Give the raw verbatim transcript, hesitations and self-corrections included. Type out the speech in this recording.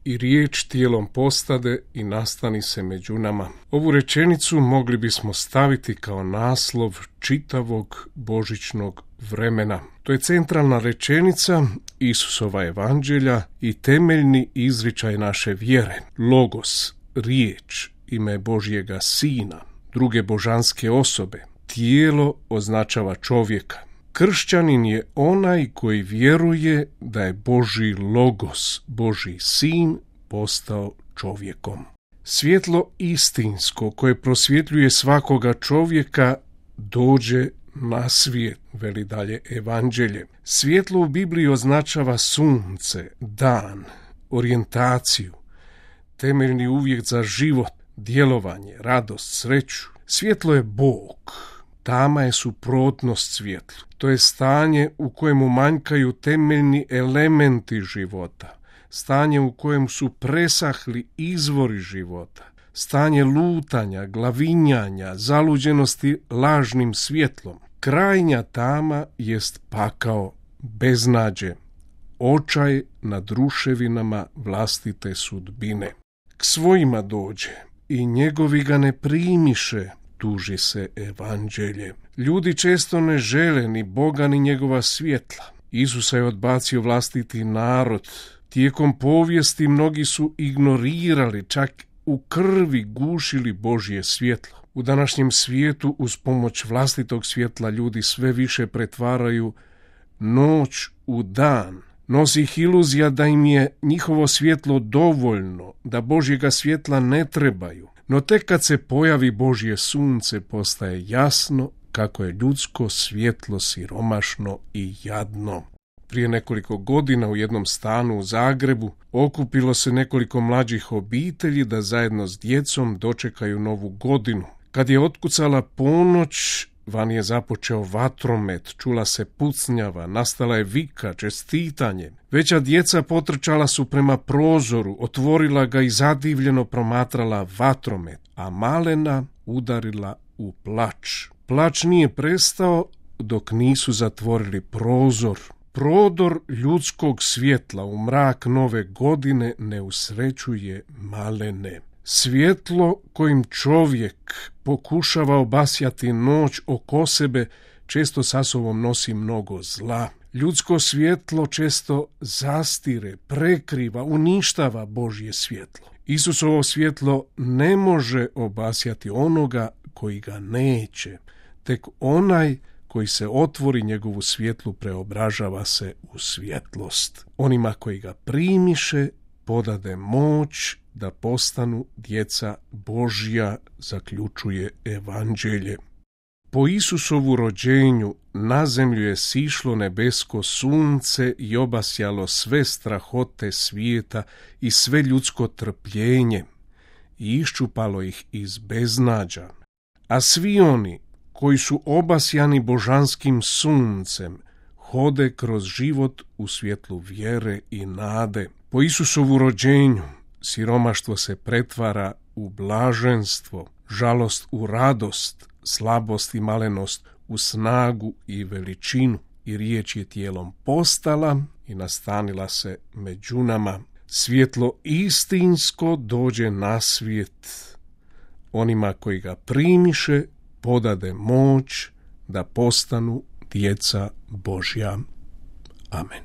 i riječ tijelom postade i nastani se među nama. Ovu rečenicu mogli bismo staviti kao naslov čitavog božićnog vremena. To je centralna rečenica Isusova evanđelja i temeljni izričaj naše vjere. Logos, riječ, ime Božjega Sina, druge božanske osobe. Tijelo označava čovjeka. Kršćanin je onaj koji vjeruje da je Božji Logos, Božji Sin, postao čovjekom. Svjetlo istinsko koje prosvjetljuje svakoga čovjeka dođe na svijet, veli dalje evanđelje. Svjetlo u Bibliji označava sunce, dan, orijentaciju, temeljni uvjet za život, djelovanje, radost, sreću. Svjetlo je Bog. Tama je suprotnost svjetlu. To je stanje u kojemu manjkaju temeljni elementi života. Stanje u kojem su presahli izvori života. Stanje lutanja, glavinjanja, zaluđenosti lažnim svjetlom. Krajnja tama jest pakao, beznađe, očaj nad ruševinama vlastite sudbine. K svojima dođe i njegovi ga ne primiše, tuži se evanđelje. Ljudi često ne žele ni Boga ni njegova svjetla. Isusa je odbacio vlastiti narod. Tijekom povijesti mnogi su ignorirali, čak u krvi gušili Božje svjetlo. U današnjem svijetu uz pomoć vlastitog svjetla ljudi sve više pretvaraju noć u dan. Nosi ih iluzija da im je njihovo svjetlo dovoljno, da Božjega svjetla ne trebaju. No tek kad se pojavi Božje sunce postaje jasno kako je ljudsko svjetlo siromašno i jadno. Prije nekoliko godina u jednom stanu u Zagrebu okupilo se nekoliko mlađih obitelji da zajedno s djecom dočekaju novu godinu. Kad je otkucala ponoć, van je započeo vatromet, čula se pucnjava, nastala je vika, čestitanje. Veća djeca potrčala su prema prozoru, otvorila ga i zadivljeno promatrala vatromet, a malena udarila u plač. Plač nije prestao dok nisu zatvorili prozor. Prodor ljudskog svjetla u mrak nove godine ne usrećuje malene. Svjetlo kojim čovjek pokušava obasjati noć oko sebe često sa sobom nosi mnogo zla. Ljudsko svjetlo često zastire, prekriva, uništava Božje svjetlo. Isusovo svjetlo ne može obasjati onoga koji ga neće. Tek onaj koji se otvori njegovu svjetlu preobražava se u svjetlost. Onima koji ga primiše podade moć da postanu djeca Božja, zaključuje evanđelje. Po Isusovu rođenju na zemlju je sišlo nebesko sunce i obasjalo sve strahote svijeta i sve ljudsko trpljenje i iščupalo ih iz beznađa. A svi oni koji su obasjani božanskim suncem hode kroz život u svjetlu vjere i nade. Po Isusovu rođenju siromaštvo se pretvara u blaženstvo, žalost u radost, slabost i malenost u snagu i veličinu. I riječ je tijelom postala i nastanila se među nama. Svjetlo istinsko dođe na svijet. Onima koji ga primiše podade moć da postanu djeca Božja. Amen.